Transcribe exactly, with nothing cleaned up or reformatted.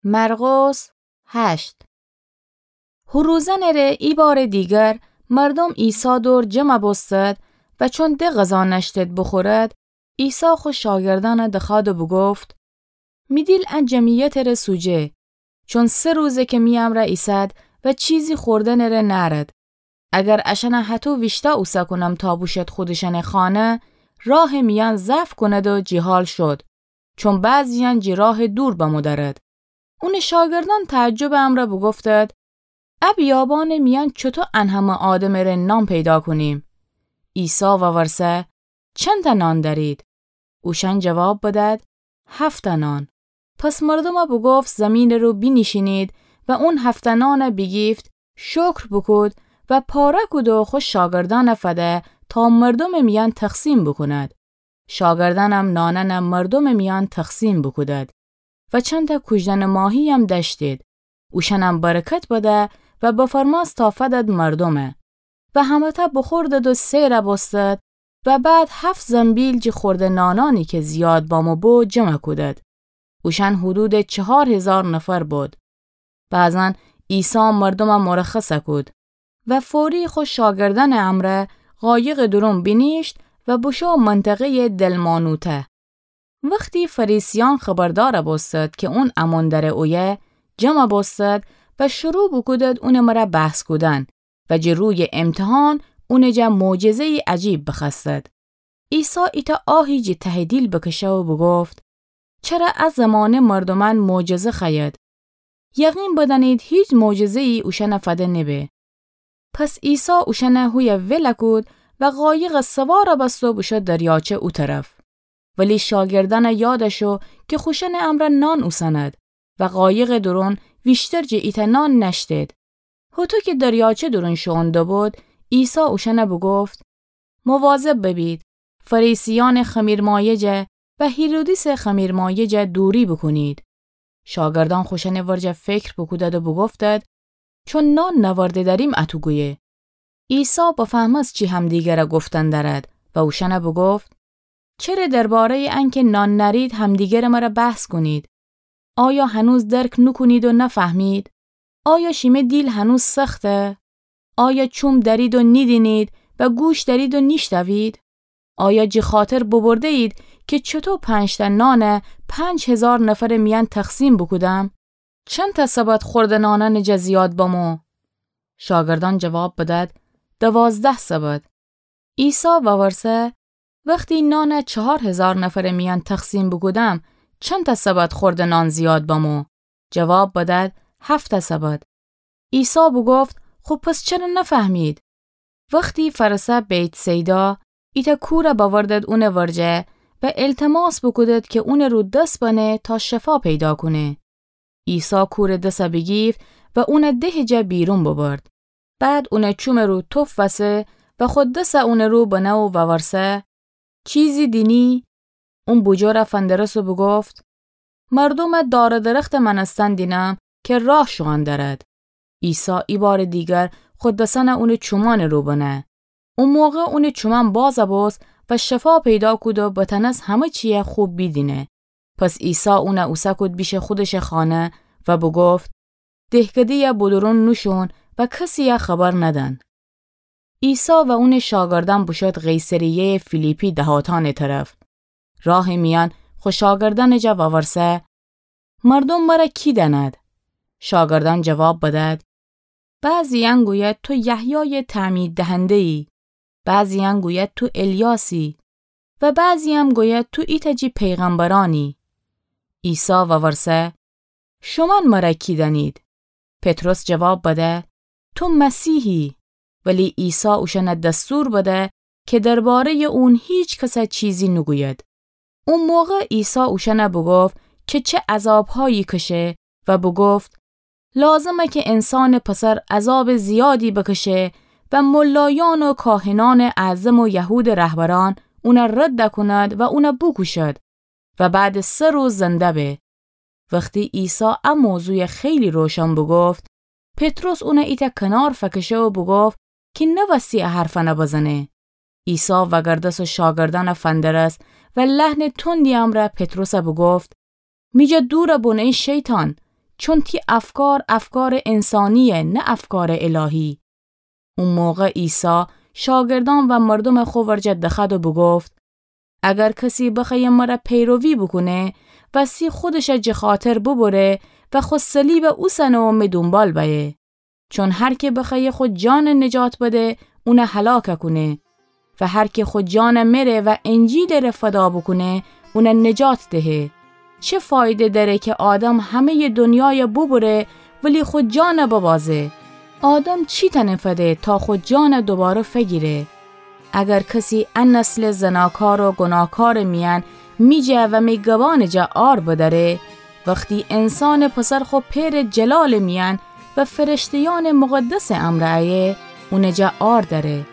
مرقس هشت. هو روزأنٚ ره ایبارٚ دیگر مردوم عیسی دور جمع بوستد و چون ده غذا نأشتد بوخورد، عیسی خو شاگردأنَ دخوأد و بوگفت: می دیل ا جمعیتٚ ره سوجه، چون سه روزه کی می امرأ ایسد و چیزی خوردنٚ ره نأرد. اگر اشأنَ هطو ویشتأ اوسه کونم تا بوشد خودشأنٚ خانه، راهٚ میأن ضعف کند و جیحال شد، چون بعضییأن جی راه دور بمو درد. اونٚ شاگردأن تعجبٚ امرأ بوگفتد: ا بیابانٚ میأن چوطو ان همه آدمٚ ره نان پیدا کونیم؟ عیسی وورسه: چندتأ نان دأرید؟ اوشأن جواب بدد: هفتأ نان. پس مردومَ بوگفت زیمینٚ رو بینیشینید و اون هفتأ نانَ بیگیفت، شکر بوکود و پاره کود و خو شاگردأنَ فده تا مردومٚ میأن تقسیم بوکوند. شاگردأنم نانأنَ مردومٚ میأن تقسیم بوکودد و چندتأ کوجدنٚ ماهییم دأشتید. اوشأنم برکت بده و بفرمأست تا فدد مردومَ. و همه‌تأ بوخوردد و سئر بوستد و بعد هفت زنبیل جی خورده نانأنی کی زیاد بامو بو جمع کودد. اوشأن حدودٚ چهار هیزار نفر بود. بعضاً عیسی مردومَ مرخص کود و فوری خو شاگردأنٚ امرأ قایقٚ دورون بینیشت و بوشو منطقه‌یٚ دلمانوته. وختی فریسیأن خبردار بوستد کی اون امون دره اویه، جمع بوستد و شروع بوکودد اونٚ مره بحث کودن و جی رویٚ امتحان اونٚ جا معجزه‌یٚ عجیب بخوأستد. عیسی ایتأ آهی جی تهٚ دیل بکشه و بوگفت: چره ا زمانه مردومأن معجزه خوأید؟ یقین بدأنید هیچ معجزه‌یی اوشأنَ فده نبه. پس عیسی اوشأنَ هویه ول کود و قایقَ سوار بست و بوشو دریاچه او طرف. ولی شاگردأنَ یاد شو کی خوشأنٚ امرأ نان اوسند و قایقٚ دورون ویشتر جٚه ایتأ نان نأشتید. هوطو کی دریاچه دورون شوئون دوبود، عیسی اوشأنَ بوگفت: مواظب ببید، فریسیأنٚ خمیرمایه جا و هیرودیسٚ خمیرمایه جا دوری بوکونید. شاگردأن خوشأنٚ ورجه فکر بوکودد و بوگفتد: چون نان نأورده دأریم اطو گویه. عیسی بفهمست چی همدیگره گفتن دأرد و اوشأنَ بوگفت: چره درباره‌یٚ انکی نان نأرید همدیگرٚ مره بحث کونید؟ آیا هنوز درک نوکونید و نفهمید؟ آیا شیمه دیل هنوز سخته؟ آیا چوم دأرید و نیدینید و گوش دأرید و نیشتوید؟ آیا جی خاطر ببرده‌یید کی چوطو پنج‌تأ نانَ پنج هیزار نفرٚ میأن تقسیم بوکودم؟ چندتأ سبد خورده نانأنٚ جا زیاد بمو؟ شاگردأن جواب بدد: دوازده سبد. عیسی وورسه: وختی نانَ چهار هیزار نفرٚ میأن تقسیم بوکودم، چندتأ سبد خورده نان زیاد بمو؟ جواب بدد: هفت‌تأ سبد. عیسی بوگفت: خو پس چره نفهمید؟ وختی فأرسه بیت‌صیدا، ایتأ کورَ بأوردد اونٚ ورجه و التماس بوکودد کی اونٚ رو دس بنه تا شفا پیدا کونه. عیسی کورٚ دسَ بیگیفت و اونَ دهٚ جا بیرون ببرد. بعد اونٚ چومٚ رو تف وسه و خو دسَ اونٚ رو بنه و وورسه: چیزی دینی؟ اون بوجور فندرست و بوگفت: مردومَ دار و درختٚ مأنستن دینم کی راه شوئن دأرد. عیسی ایبارٚ دیگر خو دسأنَ اونٚ چومأنٚ رو بنه. او موقع اونٚ چومأن باز بوست و شفا پیدا کود و بتأنست همه چیَ خوب بیدینه. پس عیسی اونَ اوسه کود بیشه خودشٚ خانه و بوگفت: دهکده‌یَ بودورون نوشون و کسیَ خبر ندن. عیسی و اونٚ شاگردأن بوشد قیصریه‌یٚ فیلیپی دهاتأنٚ طرف. راهٚ میأن خو شاگردأنٚ جا وورسه: مردوم مرَ کی دأند؟ شاگردأن جواب بدد: بعضی‌یأن گوید تو یحیایٚ تعمیددهنده‌یی، بعضی‌یأن گوید تو الیاسی و بعضی‌یم گوید تو ایتأ جی پیغمبرأنی. عیسی وورسه: شومأن مرَ کی دأنید؟ پطرس جواب بده: تو مسیحی. ولی عیسی اوشأنَ دستور بده کی درباره‌یٚ اون هیچ کسَ چیزی نوگوید. او موقع عیسی اوشأنَ بوگفت کی چه عذابهایی کشه و بوگفت: لازمه کی انسانٚ پسر عذابٚ زیادی بکشه و ملایأن و کاهنأنٚ اعظم و یهودٚ رهبرأن اونَ رد کونند و اونَ بوکوشد و بعدٚ سه روز زنده به. وختی عیسی ا موضوعَ خیلی روشن بوگفت، پطرس اونَ ایتأ کنار فکشه و بوگفت کی نوأستی ا حرفأنَ بزنه. عیسی وگردست و شاگردأنَ فندرست و لحنٚ تندی امرأ پطرسَ بوگفت: می جا دور بون ای شیطان، چون تی افکار افکارٚ انسانییه، نه افکارٚ الهی. او موقع عیسی شاگردأن و مردومٚ خو ورجه دخوأد و بوگفت: اگر کسی بخوأیه مرَ پیروی بوکونه، وستی خودشَ جٚه خاطر ببره و خو صلیبَ اوسنه و می دونبال بأیه. چون هر کی بخوأیه خو جانَ نجات بده، اونَ هلاک کونه. و هر کی خو جانَ مره و انجیلٚ ره فدا بوکونه، اونَ نجات دهه. چه فایده دأره کی آدم همه‌یٚ دونیایَ ببره، ولی خو جانَ ببازه؟ آدم چی تأنه فده تا خو جانَ دوباره فگیره؟ اگر کسی ا نسلٚ زناکار و گوناهکارٚ میأن می جا و می گبانٚ جا عار بدأره، وختی انسانٚ پسر خو پئرٚ جلالٚ میأن و فرشته‌یأنٚ مقدسٚ امرأ ایه، اونٚ جا عار دأره.